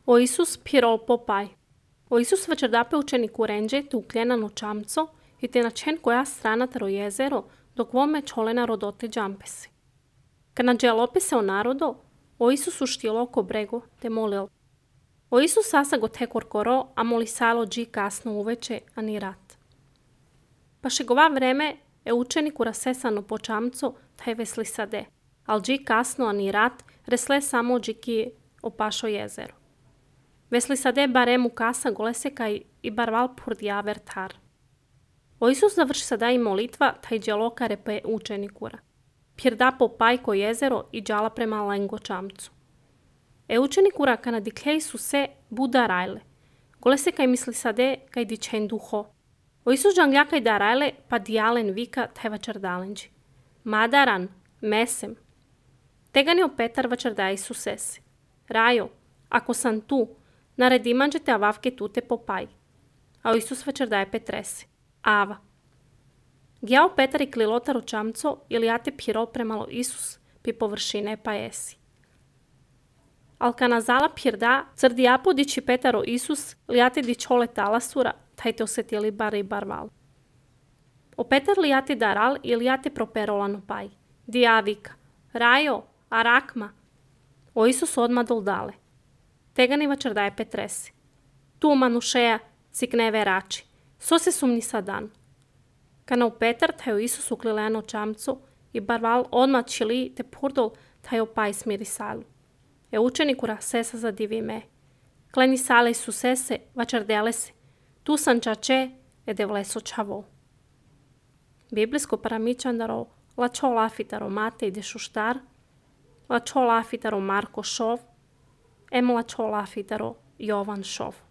O Isus pirol popai. O Isus večerdape učeniku renđe te ukljena čamco i te načen koja strana taro jezero dok vome čolena rodote džampesi. Kad nađelope se o narodo, o Isus uštilo oko brego te molil. O Isus sasa go tekor koro, a moli salo dži kasno uveče, a ni rat. Pa šegova vreme je učeniku rasesano po čamco, taj vesli sade, al dži kasno, a ni rat, resle samo džiki opašo jezero. Vesli sade barem u kasa golese kaj i barval purdjaver tar. O Isus završi sada i molitva, taj djeloka repe učenikura. Pjerda po pajko jezero i džala prema lengo čamcu. Učenikura kana diklej su se buda rajle. Golese kaj misli sade kaj dičen duho. O Isus džangja kaj da rajle pa dijalen vika taj vačardalenđi. Madaran, mesem. Teganio Petar vačarda Isusese. Rajo, ako sam tu, naredimanđete avavke tute popaj. A o Isus vačardaje Petrese. Ava. Gjao Petar i klilotaro čamco ili jate pirol premalo Isus pi površine pa esi. Al kanazala pjerda, crdi apodići Petaro Isus lijate di čole talasura, taj te osetili bar i barval. O Petar lijate daral i lijate properolano paj. Dijavika. Rajo, arakma. O Isus odma doldale. Tegani vačardaje Petrese. Tu manušeja, cikneve rači. So se sumni sadan. Kana u Petar taj Isus uklileno čamcu i barval odmah čili te purdol taj opaj smiri salu. Učenikura sesa zadivi me. Kleni sale su sese, vačardele se. Tu sam čače, devleso čavo. Biblijsko paramičandaro, lačo lafitaro Matej de šuštar, lačo lafitaro Marko šov, lačo lafitaro Jovan šov.